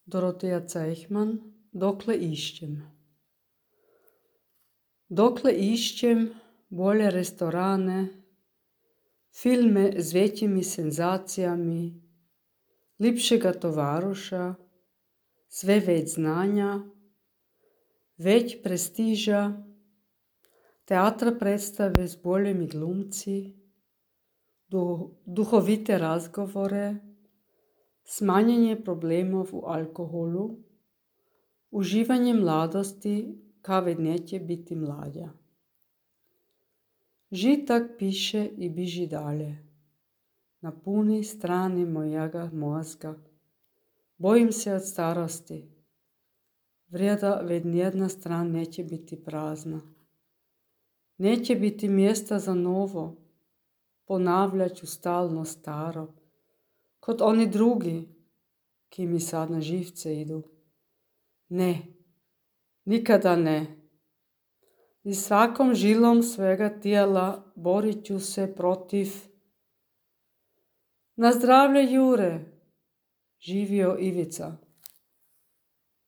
Dorotea Cejhman, dokle išćem. Dokle išćem bolje restorane, filme z većimi senzacijami, lipšega tovaruša, sve već znanja, već prestiža, teatra predstave s boljimi glumci, duhovite razgovore, smanjenje problemov u alkoholu, uživanje mladosti kad neće biti mlađa. Žitak piše i biži dalje. Na puni strani mojega mozga. Bojim se od starosti. Vrijeda već nijedna stran neće biti prazna. Neće biti mjesta za novo. Ponavljat ću stalno staro. Kod oni drugi, ki mi sad na živce idu. Ne, nikada ne. I svakom žilom svega tijela borit ću se protiv. Na zdravlje Jure, živio Ivica.